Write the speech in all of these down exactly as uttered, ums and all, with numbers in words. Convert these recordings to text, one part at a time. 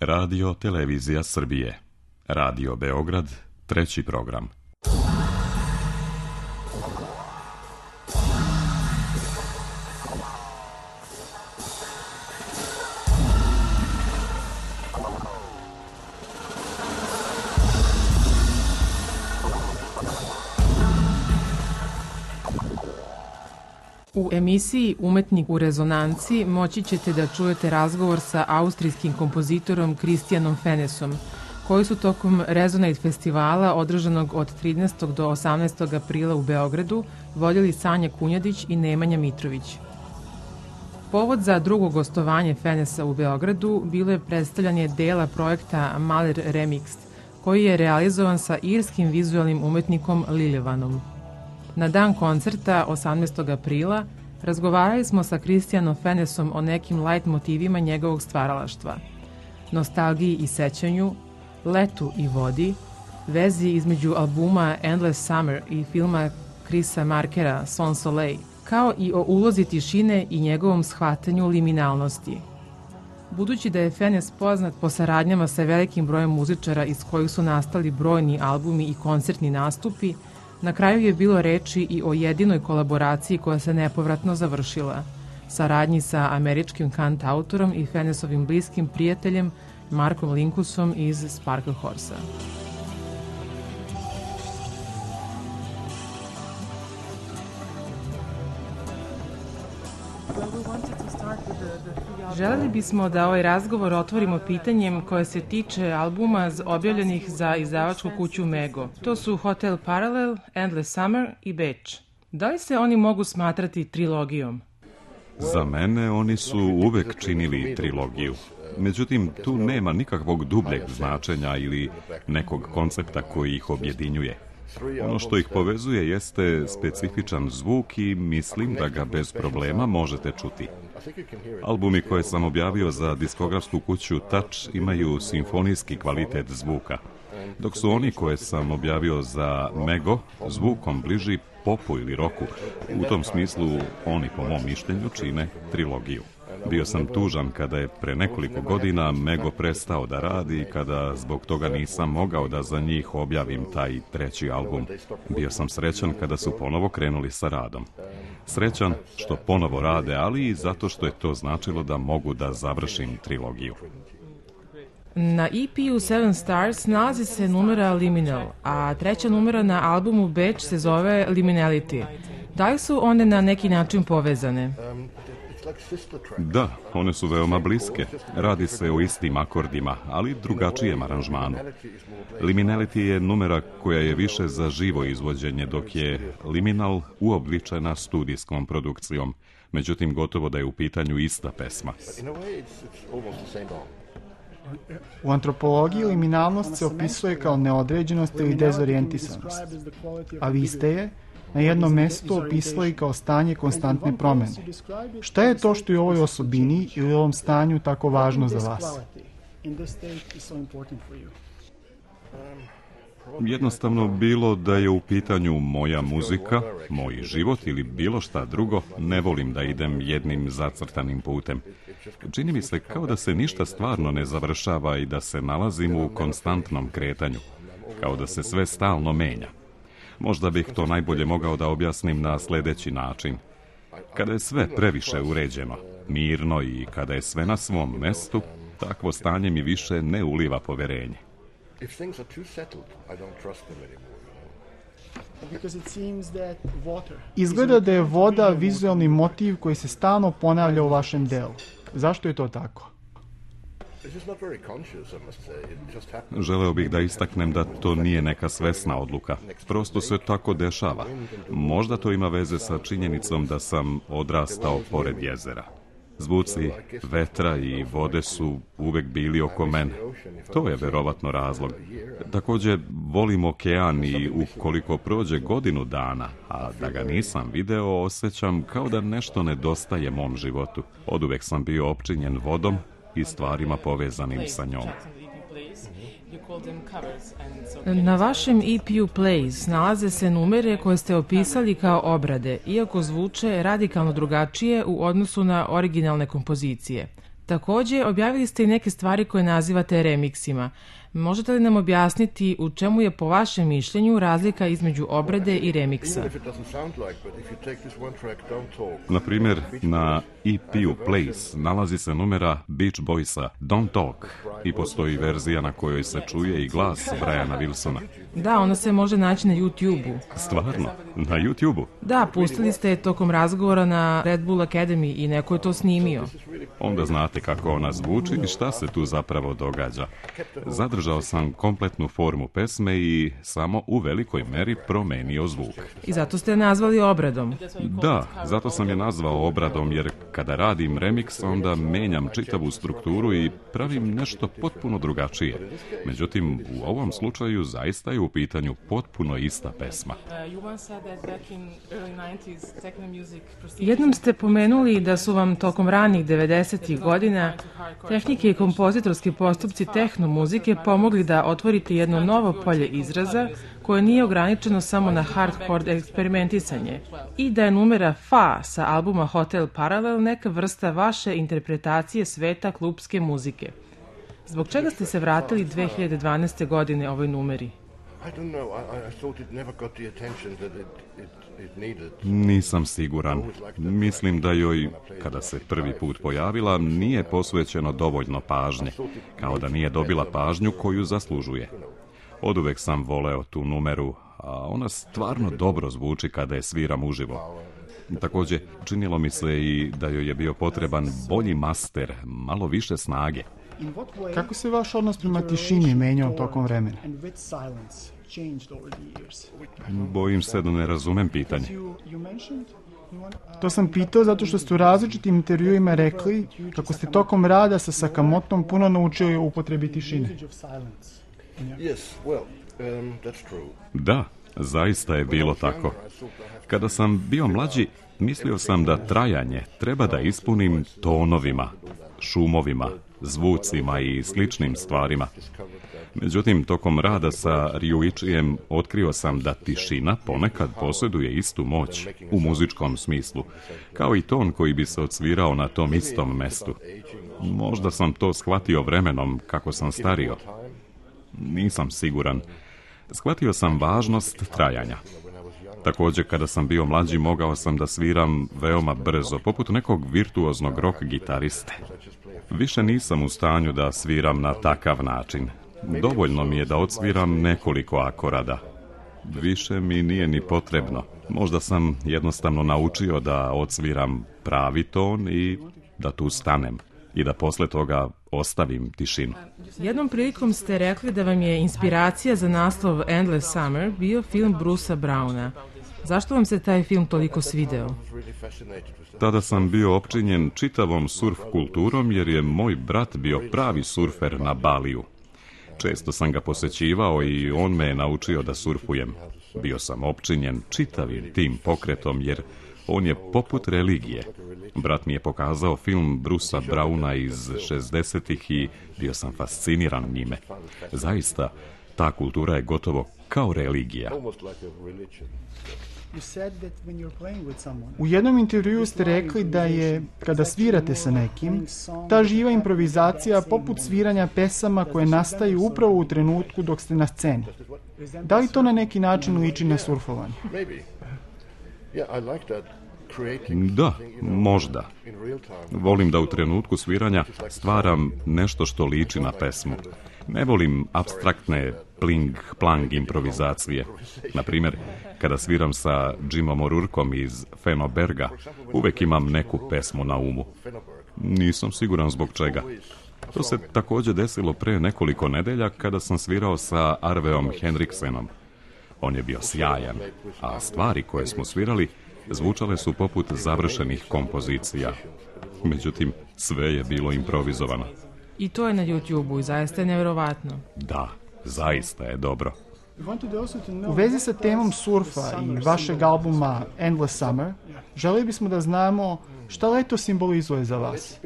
Radio Televizija Srbije. Radio Beograd, treći program. U emisiji Umetnik u rezonanci moći ćete da čujete razgovor sa austrijskim kompozitorom Christianom Fenesom, koji su tokom Resonate festivala održanog od trinaestog do osamnaestog aprila u Beogradu vodili Sanja Kunjadić i Nemanja Mitrović. Povod za drugo gostovanje Fenesa u Beogradu bilo je predstavljanje dela projekta Mahler Remixed, koji je realizovan sa irskim vizualnim umetnikom Liljevanom. Na dan koncerta, osamnaestog aprila, razgovarali smo sa Christianom Fenesom o nekim light motivima njegovog stvaralaštva, nostalgiji i sećanju, letu i vodi, vezi između albuma Endless Summer i filma Chrisa Markera Son Soleil, kao i o ulozi tišine i njegovom shvatanju liminalnosti. Budući da je Fenes poznat po saradnjama sa velikim brojem muzičara iz kojih su nastali brojni albumi i koncertni nastupi, na kraju je bilo reči i o jedinoj kolaboraciji koja se nepovratno završila, saradnji sa američkim kantautorom i Fenesovim bliskim prijateljem Markom Linkusom iz Sparkle Horse-a. Želeli bismo da ovaj razgovor otvorimo pitanjem koje se tiče albuma objavljenih za izdavačku kuću Mego. To su Hotel Parallel, Endless Summer i Beč. Da li se oni mogu smatrati trilogijom? Za mene oni su uvek činili trilogiju. Međutim, tu nema nikakvog dubljeg značenja ili nekog koncepta koji ih objedinjuje. Ono što ih povezuje jeste specifičan zvuk i mislim da ga bez problema možete čuti. Albumi koje sam objavio za diskografsku kuću Touch imaju simfonijski kvalitet zvuka, dok su oni koje sam objavio za Mego zvukom bliži popu ili roku. U tom smislu oni, po mom mišljenju, čine trilogiju. Bio sam tužan kada je pre nekoliko godina Mego prestao da radi i kada zbog toga nisam mogao da za njih objavim taj treći album. Bio sam srećan kada su ponovo krenuli sa radom. Srećan što ponovo rade, ali i zato što je to značilo da mogu da završim trilogiju. Na E P-u Seven Stars nalazi se numera Liminal, a treća numera na albumu Beč se zove Liminality. Da li su one na neki način povezane? Da, one su veoma bliske. Radi se o istim akordima, ali drugačijem aranžmanu. Liminality je numera koja je više za živo izvođenje, dok je Liminal uobličena studijskom produkcijom. Međutim, gotovo da je u pitanju ista pesma. U antropologiji liminalnost se opisuje kao neodređenost ili dezorijentisanost, a vi ste je na jednom mestu opisali kao stanje konstantne promene. Šta je to što je u ovoj osobini ili u ovom stanju tako važno za vas? Jednostavno, bilo da je u pitanju moja muzika, moj život ili bilo šta drugo, ne volim da idem jednim zacrtanim putem. Čini mi se kao da se ništa stvarno ne završava i da se nalazim u konstantnom kretanju, kao da se sve stalno menja. Možda bih to najbolje mogao da objasnim na sledeći način. Kada je sve previše uređeno, mirno i kada je sve na svom mestu, takvo stanje mi više ne uliva poverenje. Izgleda da je voda vizualni motiv koji se stalno ponavlja u vašem delu. Zašto je to tako? Želeo bih da istaknem da to nije neka svesna odluka. Prosto se tako dešava. Možda to ima veze sa činjenicom da sam odrastao pored jezera. Zvuci vetra i vode su uvek bili oko mene. To je verovatno razlog. Takođe, volim okean i ukoliko prođe godinu dana, a da ga nisam video, osjećam kao da nešto nedostaje mom životu. Oduvek sam bio opčinjen vodom i stvarima povezanim sa njom. Na vašem E P-u Plays nalaze se numere koje ste opisali kao obrade, iako zvuče radikalno drugačije u odnosu na originalne kompozicije. Takođe, objavili ste i neke stvari koje nazivate remiksima. Možete li nam objasniti u čemu je po vašem mišljenju razlika između obrade i remiksa? Na primjer, na E P-u Place nalazi se numera Beach Boysa Don't Talk i postoji verzija na kojoj se čuje i glas Briana Wilsona. Da, ona se može naći na YouTube-u. Stvarno? Na YouTube-u? Da, pustili ste je tokom razgovora na Red Bull Academy i neko je to snimio. Onda znate kako ona zvuči i šta se tu zapravo događa. Zadržao sam kompletnu formu pesme i samo u velikoj meri promenio zvuk. I zato ste je nazvali obradom? Da, zato sam je nazvao obradom, jer kada radim remix, onda menjam čitavu strukturu i pravim nešto potpuno drugačije. Međutim, u ovom slučaju zaista je u pitanju potpuno ista pesma. Jednom ste pomenuli da su vam tokom ranih devedesetih godina tehnike i kompozitorski postupci tehno muzike pomogli da otvorite jedno novo polje izraza koje nije ograničeno samo na hardcore eksperimentisanje i da je numera Fa sa albuma Hotel Parallel neka vrsta vaše interpretacije sveta klubske muzike. Zbog čega ste se vratili dve hiljade dvanaeste. godine ovoj numeri? Nisam siguran. Mislim da joj, kada se prvi put pojavila, nije posvećeno dovoljno pažnje, kao da nije dobila pažnju koju zaslužuje. Oduvek sam voleo tu numeru, a ona stvarno dobro zvuči kada je sviram uživo. Takođe, činilo mi se i da joj je bio potreban bolji master, malo više snage. Kako se vaš odnos prema tišini menjao tokom vremena? Bojim se da ne razumem pitanje. To sam pitao zato što ste u različitim intervjuima rekli kako ste tokom rada sa Sakamotom puno naučili o upotrebi tišine. Da, zaista je bilo tako. Kada sam bio mlađi, mislio sam da trajanje treba da ispunim tonovima, šumovima, zvucima i sličnim stvarima. Međutim, tokom rada sa Ryuichijem otkrio sam da tišina ponekad posjeduje istu moć u muzičkom smislu, kao i ton koji bi se odsvirao na tom istom mestu. Možda sam to shvatio vremenom kako sam stario. Nisam siguran. Shvatio sam važnost trajanja. Također, kada sam bio mlađi, mogao sam da sviram veoma brzo, poput nekog virtuoznog rock gitariste. Više nisam u stanju da sviram na takav način. Dovoljno mi je da odsviram nekoliko akorada. Više mi nije ni potrebno. Možda sam jednostavno naučio da odsviram pravi ton i da tu stanem. I da posle toga ostavim tišinu. Jednom prilikom ste rekli da vam je inspiracija za naslov Endless Summer bio film Brucea Browna. Zašto vam se taj film toliko svideo? Tada sam bio opčinjen čitavom surf kulturom jer je moj brat bio pravi surfer na Baliju. Često sam ga posećivao i on me je naučio da surfujem. Bio sam opčinjen čitavim tim pokretom jer on je poput religije. Brat mi je pokazao film Brucea Browna iz šezdesetih i bio sam fasciniran njime. Zaista, ta kultura je gotovo kao religija. U jednom intervjuu ste rekli da je, kada svirate sa nekim, ta živa improvizacija poput sviranja pesama koje nastaju upravo u trenutku dok ste na sceni. Da li to na neki način liči na surfovanje? Da, možda. Volim da u trenutku sviranja stvaram nešto što liči na pesmu. Ne volim apstraktne pling-plang improvizacije. Na primjer, kada sviram sa Jimom O'Rourkeom iz Fenoberga, uvek imam neku pesmu na umu. Nisam siguran zbog čega. To se također desilo pre nekoliko nedelja kada sam svirao sa Arveom Henriksenom. On je bio sjajan, a stvari koje smo svirali zvučale su poput završenih kompozicija. Međutim, sve je bilo improvizovano. I to je na YouTube-u i zaista je nevjerovatno. Da, zaista je dobro. U vezi sa temom surfa i vašeg albuma Endless Summer, želeli bismo da znamo šta leto simbolizuje za vas.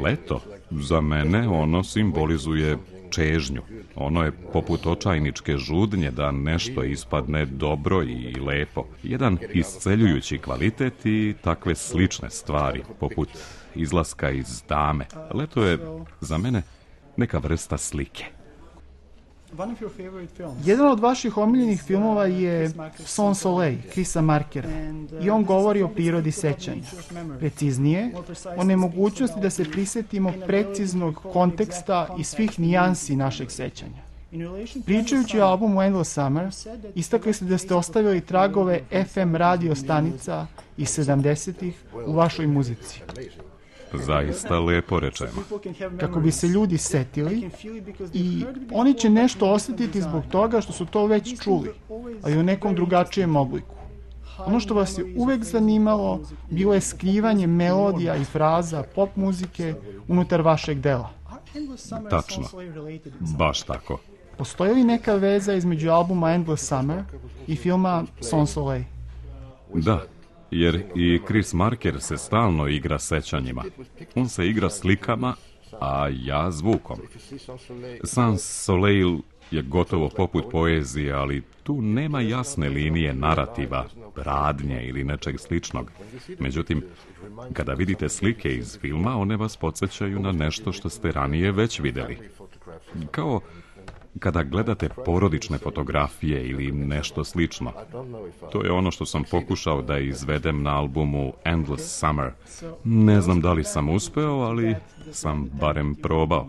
Leto? Za mene ono simbolizuje čežnju. Ono je poput očajničke žudnje da nešto ispadne dobro i lepo. Jedan isceljujući kvalitet i takve slične stvari, poput izlaska iz tame. Leto je za mene neka vrsta slike. Jedan od vaših omiljenih filmova je Sans Soleil, Chrisa Markera, i on govori o prirodi sećanja. Preciznije, o nemogućnosti da se prisjetimo preciznog konteksta i svih nijansi našeg sećanja. Pričajući o albumu Endless Summer, istakli ste da ste ostavili tragove F M radio stanica iz sedamdesetih u vašoj muzici. Zaista lepo rečeno. Kako bi se ljudi setili i oni će nešto osjetiti zbog toga što su to već čuli, ali u nekom drugačijem obliku. Ono što vas je uvek zanimalo bilo je skrivanje melodija i fraza pop muzike unutar vašeg dela. Tačno. Baš tako. Postoji li neka veza između albuma Endless Summer i filma Sans Soleil? Da, jer i Chris Marker se stalno igra sećanjima. On se igra slikama, a ja zvukom. Sans Soleil je gotovo poput poezije, ali tu nema jasne linije narativa, radnje ili nečeg sličnog. Međutim, kada vidite slike iz filma, one vas podsjećaju na nešto što ste ranije već vidjeli. Kao kada gledate porodične fotografije ili nešto slično. To je ono što sam pokušao da izvedem na albumu Endless Summer. Ne znam da li sam uspeo, ali sam barem probao.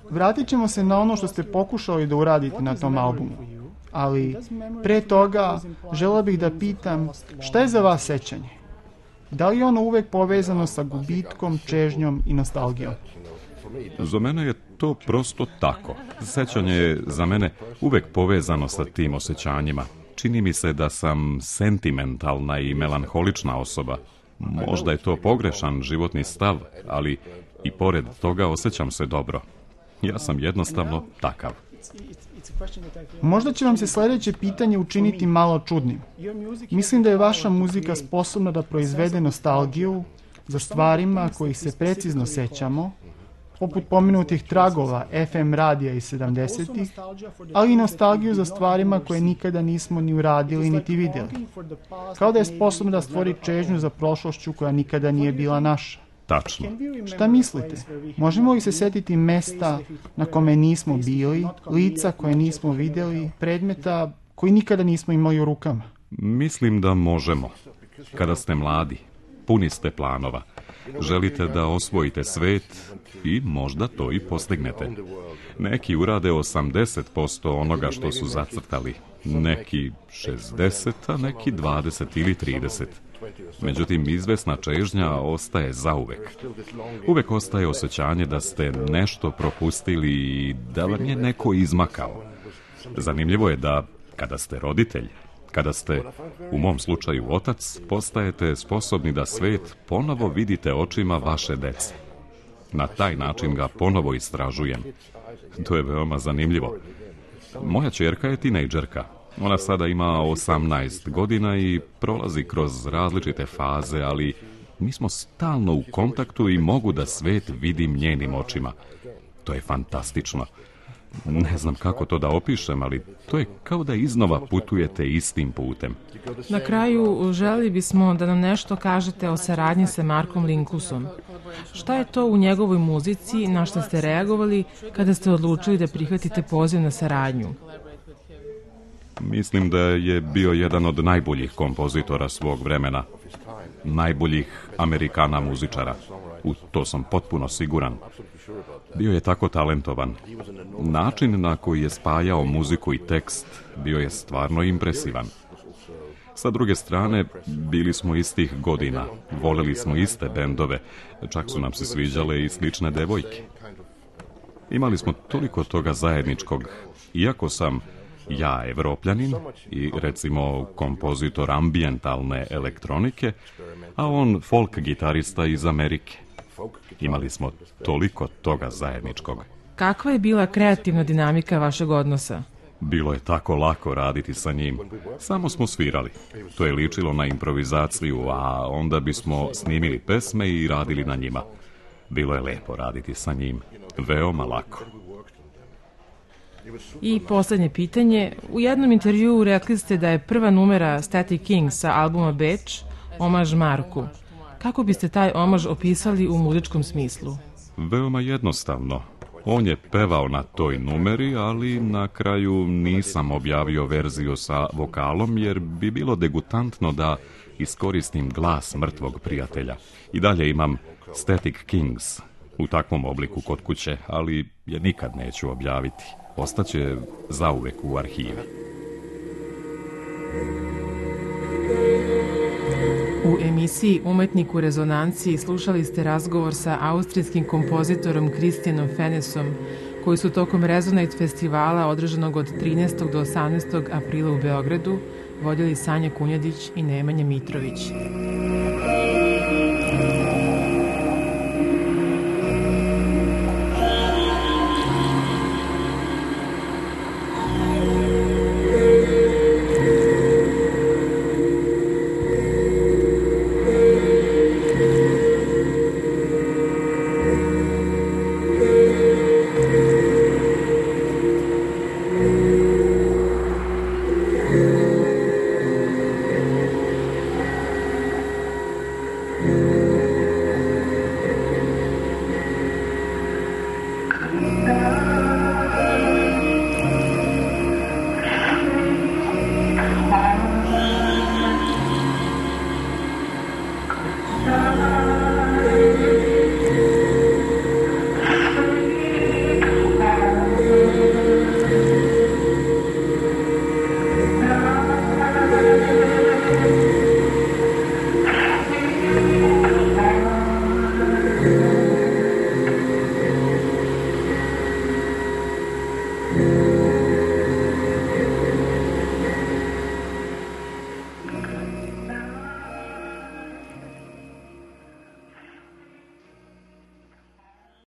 Vratit ćemo se na ono što ste pokušali da uradite na tom albumu. Ali pre toga želeo bih da pitam šta je za vas sećanje? Da li je ono uvek povezano sa gubitkom, čežnjom i nostalgijom? Za mene je to prosto tako. Sećanje je za mene uvek povezano sa tim osjećanjima. Čini mi se da sam sentimentalna i melanholična osoba. Možda je to pogrešan životni stav, ali i pored toga osjećam se dobro. Ja sam jednostavno takav. Možda će vam se sljedeće pitanje učiniti malo čudnim. Mislim da je vaša muzika sposobna da proizvede nostalgiju za stvarima kojih se precizno sećamo, poput pomenutih tragova F M radija iz sedamdesetih, ali i nostalgiju za stvarima koje nikada nismo ni uradili niti vidjeli. Kao da je sposobna da stvori čežnju za prošlošću koja nikada nije bila naša. Tačno. Šta mislite? Možemo li se setiti mesta na kome nismo bili, lica koje nismo vidjeli, predmeta koji nikada nismo imali u rukama? Mislim da možemo. Kada ste mladi, puni ste planova. Želite da osvojite svet i možda to i postignete. Neki urade osamdeset posto onoga što su zacrtali, neki šezdeset, a neki dvadeset ili trideset. Međutim, izvesna čežnja ostaje zauvek. Uvek ostaje osjećanje da ste nešto propustili i da vam je neko izmakao. Zanimljivo je da kada ste roditelj, kada ste, u mom slučaju otac, postajete sposobni da svet ponovo vidite očima vaše dece. Na taj način ga ponovo istražujem. To je veoma zanimljivo. Moja ćerka je tinejdžerka. Ona sada ima osamnaest godina i prolazi kroz različite faze, ali mi smo stalno u kontaktu i mogu da svet vidim njenim očima. To je fantastično. Ne znam kako to da opišem, ali to je kao da iznova putujete istim putem. Na kraju želi bismo da nam nešto kažete o saradnji sa Markom Linkousom. Šta je to u njegovoj muzici na što ste reagovali kada ste odlučili da prihvatite poziv na saradnju? Mislim da je bio jedan od najboljih kompozitora svog vremena. Najboljih Amerikana muzičara. U to sam potpuno siguran. Bio je tako talentovan. Način na koji je spajao muziku i tekst bio je stvarno impresivan. Sa druge strane, bili smo istih godina, voleli smo iste bendove, čak su nam se sviđale i slične devojke. Imali smo toliko toga zajedničkog, iako sam ja evropljanin i recimo kompozitor ambijentalne elektronike, a on folk gitarista iz Amerike. Imali smo toliko toga zajedničkog. Kakva je bila kreativna dinamika vašeg odnosa? Bilo je tako lako raditi sa njim. Samo smo svirali. To je ličilo na improvizaciju, a onda bismo snimili pesme i radili na njima. Bilo je lepo raditi sa njim. Veoma lako. I posljednje pitanje. U jednom intervjuu rekli ste da je prva numera Static Kings sa albuma Beč omaž Marku. Kako biste taj omaž opisali u muzičkom smislu? Veoma jednostavno. On je pevao na toj numeri, ali na kraju nisam objavio verziju sa vokalom, jer bi bilo degutantno da iskoristim glas mrtvog prijatelja. I dalje imam Static Kings u takvom obliku kod kuće, ali je nikad neću objaviti. Ostaće zauvek u arhivi. U emisiji Umetnik u rezonanciji slušali ste razgovor sa austrijskim kompozitorom Christianom Fenesom, koji su tokom Resonate festivala održanog od trinaestog do osamnaestog aprila u Beogradu vodili Sanja Kunjadić i Nemanja Mitrović. Now